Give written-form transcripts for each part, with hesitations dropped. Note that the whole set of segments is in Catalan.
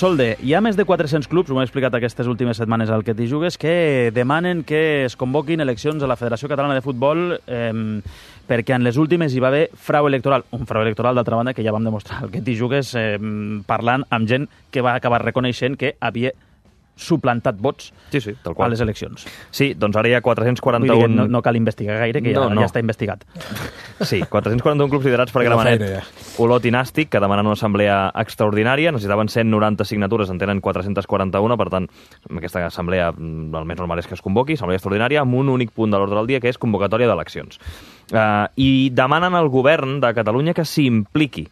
Solde, hi ha més de 400 clubs, ho hem explicat aquestes últimes setmanes al Que t'hi jugues, que demanen que es convoquin eleccions a la Federació Catalana de Futbol perquè en les últimes hi va haver frau electoral. Un frau electoral, d'altra banda, que ja vam demostrar al Que t'hi jugues parlant amb gent que va acabar reconeixent que havia suplantat vots tal qual. a les eleccions. Sí, doncs ara hi ha 441... Vull dir que no cal investigar gaire, que ja està investigat. Sí, 441 clubs liderats per Gramenet, Olot i Nàstic, que demanen una assemblea extraordinària. Necessitaven 190 signatures, en tenen 441, per tant, aquesta assemblea el més normal és que es convoqui, assemblea extraordinària, amb un únic punt de l'ordre del dia, que és convocatòria d'eleccions. I demanen al govern de Catalunya que s'hi impliqui,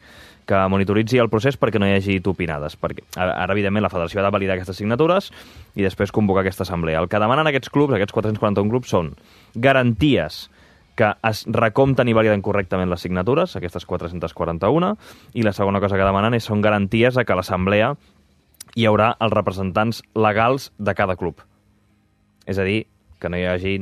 que monitoritzi el procés perquè no hi hagi topinades. Perquè ara, evidentment, la federació ha de validar aquestes signatures i després convocar aquesta assemblea. El que demanen aquests clubs, aquests 441 clubs, són garanties que es recompten i validen correctament les signatures, aquestes 441, i la segona cosa que demanen són garanties que a l'assemblea hi haurà els representants legals de cada club. És a dir, que no hi hagi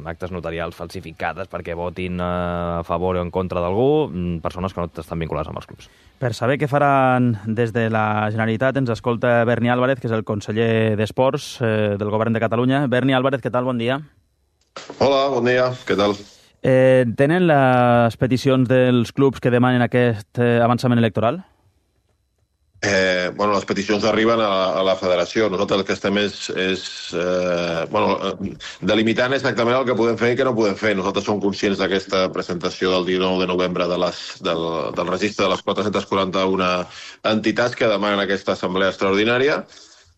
actes notarials falsificades perquè votin a favor o en contra d'algú, persones que no estan vinculades amb els clubs. Per saber què faran des de la Generalitat ens escolta Berni Álvarez, que és el conseller d'Esports del Govern de Catalunya. Berni Álvarez, què tal? Bon dia. Hola, bon dia. Què tal? Tenen les peticions dels clubs que demanen aquest avançament electoral? Les peticions arriben a la federació. Nosaltres el que estem delimitant exactament el que podem fer i què no podem fer. Nosaltres som conscients d'aquesta presentació del 19 de novembre del registre de les 441 entitats que demanen aquesta assemblea extraordinària.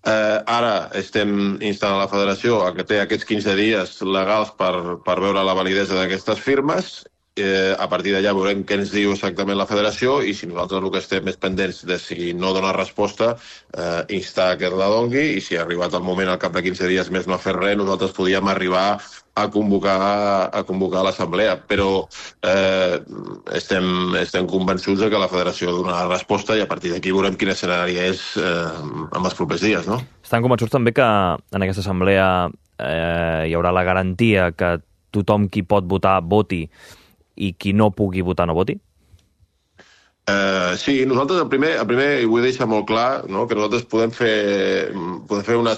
Ara estem instant a la federació a que té aquests 15 dies legals per veure la validesa d'aquestes firmes. A partir d'allà veurem què ens diu exactament la federació i si nosaltres el que estem és pendents de si no dona resposta, instar que la dongui i si ha arribat el moment al cap de 15 dies més no ha fet res, nosaltres podíem arribar a convocar l'assemblea. Però estem convençuts que la federació donarà resposta i a partir d'aquí veurem quin escenari és en els propers dies, no? Estan convençuts també que en aquesta assemblea hi haurà la garantia que tothom qui pot votar voti i qui no pugui votar no voti? Sí, nosaltres el primer, i vull deixar molt clar, no, que nosaltres podem fer una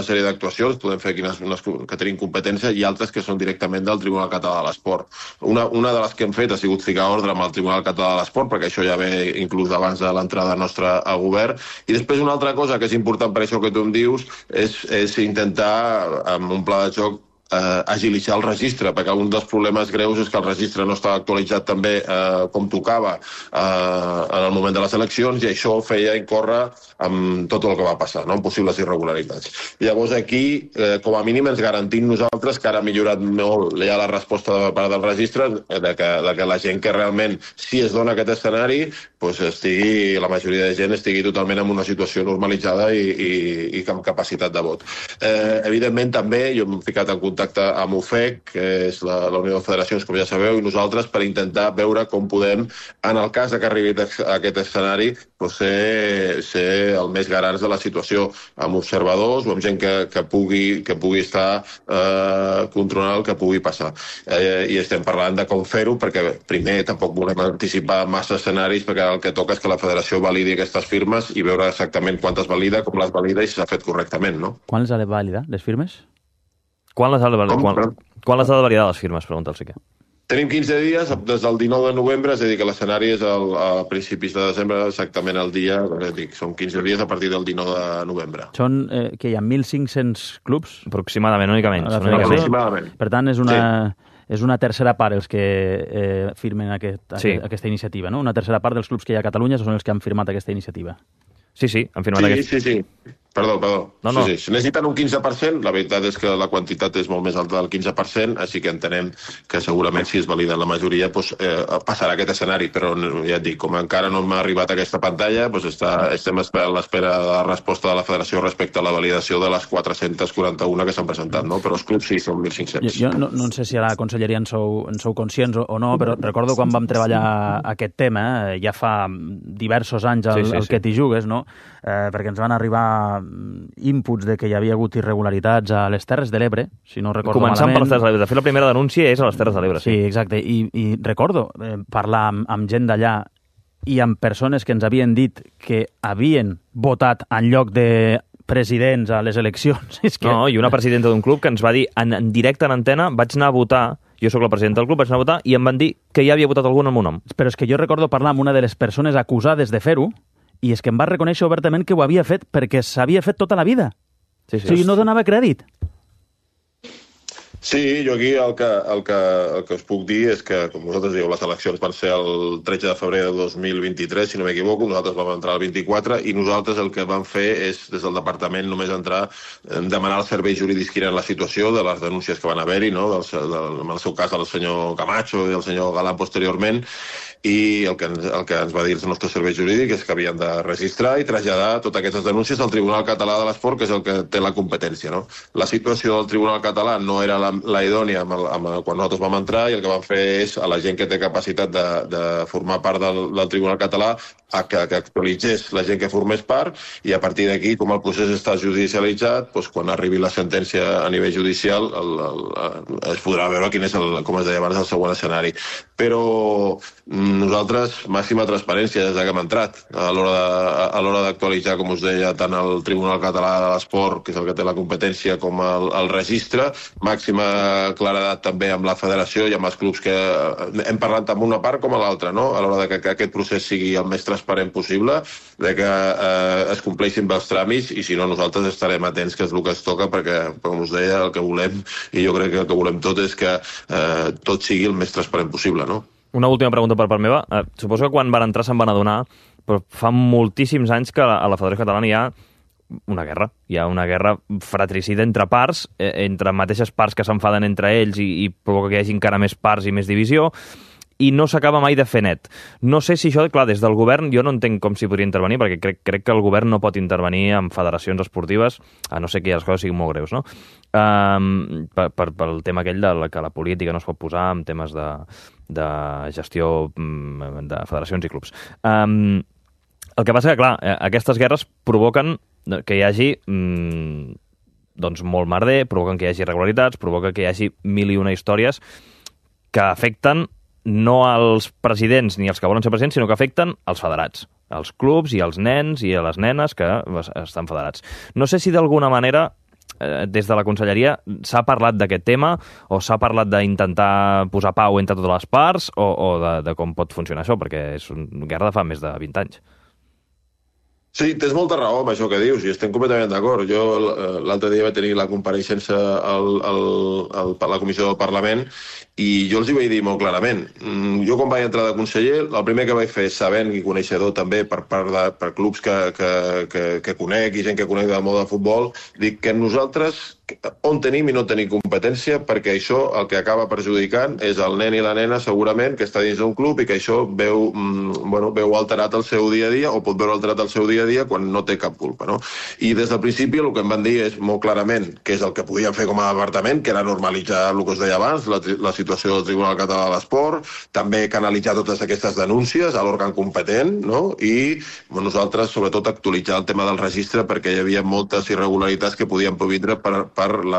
sèrie d'actuacions, podem fer unes que tenim competència i altres que són directament del Tribunal Català de l'Esport. Una de les que hem fet ha sigut ficar ordre amb el Tribunal Català de l'Esport, perquè això ja ve inclús abans de l'entrada nostra a govern. I després una altra cosa que és important per això que tu em dius és intentar, amb un pla de joc, agilitzar el registre, perquè un dels problemes greus és que el registre no està actualitzat també com tocava en el moment de les eleccions i això feia incórrer amb tot el que va passar, no? Amb possibles irregularitats. Llavors aquí, com a mínim, ens garantim nosaltres que ara ha millorat molt ja la resposta per part del registre, de que la gent que realment, si es dona aquest escenari, la majoria de gent estigui totalment en una situació normalitzada i amb capacitat de vot. Evidentment, també, jo m'he ficat en contacte amb UFEC, que és la Unió de Federacions, com ja sabeu, i nosaltres per intentar veure com podem, en el cas que arribi a aquest escenari, ser el més garants de la situació, amb observadors o amb gent que pugui estar controlant el que pugui passar. I estem parlant de com fer-ho, perquè primer tampoc volem anticipar massa escenaris, perquè el que toca és que la federació validi aquestes firmes i veure exactament quantes valida, com les valida i si s'ha fet correctament, no? Quan les ha de validar, les firmes? Quan les ha de validar les firmes, pregunta el Sique. Tenim 15 dies, des del 19 de novembre, és a dir, que l'escenari és a principis de desembre, exactament el dia, són 15 dies a partir del 19 de novembre. Són, que hi ha 1.500 clubs? Aproximadament, una mica menys. Aproximadament. Per tant, és una tercera part els que firmen aquesta iniciativa, no? Una tercera part dels clubs que hi ha a Catalunya són els que han firmat aquesta iniciativa. Sí, han firmat aquesta. Sí. Perdó. No. Sí. Si necessiten un 15%, la veritat és que la quantitat és molt més alta del 15%, així que entenem que segurament si es valida la majoria passarà aquest escenari, però ja et dic, com encara no m'ha arribat aquesta pantalla, estem a l'espera de la resposta de la federació respecte a la validació de les 441 que s'han presentat, no? Però els clubs sí, són 1.500. Jo no sé si a la conselleria en sou conscients o no, però recordo quan vam treballar aquest tema, ja fa diversos anys al Que t'hi jugues, no? Perquè ens van arribar inputs de que hi havia hagut irregularitats a les Terres de l'Ebre, si no recordo malament. Començant per les Terres de l'Ebre. De fet, la primera denúncia és a les Terres de l'Ebre. Sí, exacte. I recordo parlar amb gent d'allà i amb persones que ens havien dit que havien votat en lloc de presidents a les eleccions. No, i una presidenta d'un club que ens va dir en directe en antena, vaig anar a votar, jo sóc la presidenta del club, vaig anar a votar i em van dir que ja havia votat algun amb un nom. Però és que jo recordo parlar amb una de les persones acusades de fer-ho i és que em va reconèixer obertament que ho havia fet perquè s'havia fet tota la vida. Sí. O sigui, no donava crèdit. Sí, jo aquí el que us puc dir és que, com vosaltres dieu, les eleccions van ser el 13 de febrer de 2023, si no m'equivoco, nosaltres vam entrar el 24 i nosaltres el que vam fer és, des del departament, només entrar, demanar els serveis jurídics quina era la situació de les denúncies que van haver-hi, no? En el seu cas el senyor Camacho i el senyor Galán posteriorment, i el que ens va dir els nostres serveis jurídics és que havien de registrar i traslladar totes aquestes denúncies al Tribunal Català de l'Esport, que és el que té la competència. No? La situació del Tribunal Català no era la idònia quan nosaltres vam entrar i el que vam fer és a la gent que té capacitat de formar part del Tribunal Català que actualitzés la gent que formés part i a partir d'aquí, com el procés està judicialitzat, doncs, quan arribi la sentència a nivell judicial es podrà veure quin és, com es deia abans, el següent escenari. Però nosaltres, màxima transparència des que hem entrat a l'hora d'actualitzar, com us deia, tant el Tribunal Català de l'Esport, que és el que té la competència, com el registre, màxima claredat també amb la federació i amb els clubs que hem parlat tant amb una part com a l'altra, no? A l'hora que aquest procés sigui el més transparent possible, de que es compleixin bé els tràmits i si no nosaltres estarem atents, que és el que es toca, perquè, com us deia, el que volem, i jo crec que el que volem tot és que tot sigui el més transparent possible, no? Una última pregunta per part meva. Suposo que quan van entrar se'n van adonar, però fa moltíssims anys que a la Federació Catalana hi ha una guerra. Hi ha una guerra fratricida entre parts, entre mateixes parts que s'enfaden entre ells i provoca que hi hagi encara més parts i més divisió, i no s'acaba mai de fer net. No sé si això, clar, des del govern jo no entenc com s'hi podria intervenir, perquè crec que el govern no pot intervenir en federacions esportives, a no ser que les coses siguin molt greus, no? Pel tema aquell que la política no es pot posar en temes de gestió de federacions i clubs. El que passa que, clar, aquestes guerres provoquen que hi hagi doncs molt merder, provoquen que hi hagi irregularitats, provoca que hi hagi mil i una històries que afecten no als presidents ni als que volen ser presidents, sinó que afecten als federats, als clubs i als nens i a les nenes que estan federats. No sé si d'alguna manera des de la conselleria s'ha parlat d'aquest tema o s'ha parlat d'intentar posar pau entre totes les parts o de com pot funcionar això, perquè és una guerra de fa més de 20 anys. Sí, tens molta raó amb això que dius i estem completament d'acord. Jo l'altre dia vaig tenir la compareixença a la comissió del Parlament i jo els hi vaig dir molt clarament. Jo quan vaig entrar de conseller, el primer que vaig fer, sabent i coneixedor també per clubs que conec i gent que conec del món del futbol, dic que nosaltres on tenim i no tenim competència, perquè això el que acaba perjudicant és el nen i la nena segurament que està dins d'un club i que això veu alterat el seu dia a dia o pot veure alterat el seu dia a dia quan no té cap culpa, no? I des del principi el que em van dir és molt clarament que és el que podíem fer com a departament, que era normalitzar el que us deia abans, la situació del Tribunal Català de l'Esport, també canalitzar totes aquestes denúncies a l'òrgan competent, no? I nosaltres sobretot actualitzar el tema del registre perquè hi havia moltes irregularitats que podien provindre per el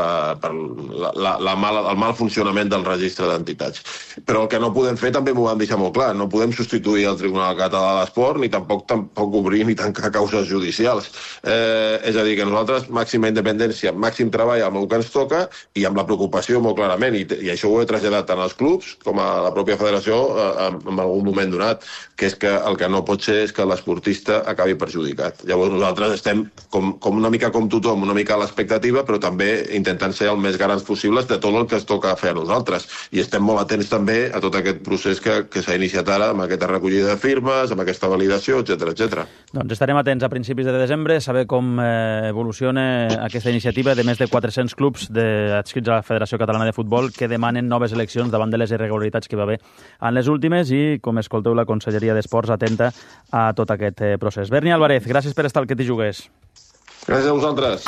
mal funcionament del registre d'entitats. Però el que no podem fer també m'ho van deixar molt clar, no podem substituir el Tribunal Català de l'Esport ni tampoc obrir ni tancar causes judicials. És a dir, que nosaltres màxima independència, màxim treball amb el que ens toca i amb la preocupació molt clarament, i això ho he traslladat tant als clubs com a la pròpia federació en algun moment donat, que és que el que no pot ser és que l'esportista acabi perjudicat. Llavors nosaltres estem com una mica com tothom, una mica a l'expectativa, però també intentant ser el més garants possibles de tot el que es toca fer a nosaltres. I estem molt atents també a tot aquest procés que s'ha iniciat ara amb aquesta recollida de firmes, amb aquesta validació, etc. Doncs estarem atents a principis de desembre, saber com evoluciona aquesta iniciativa de més de 400 clubs adscrits a la Federació Catalana de Futbol que demanen noves eleccions davant de les irregularitats que hi va haver en les últimes i, com escolteu, la Conselleria d'Esports atenta a tot aquest procés. Berni Álvarez, gràcies per estar al Que t'hi jugues. Gràcies a vosaltres.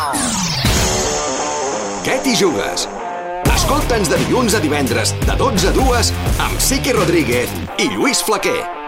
Què t'hi jugues? Escolta'ns de dilluns a divendres de 12 a 2 amb Siqui Rodríguez i Lluís Flaquer.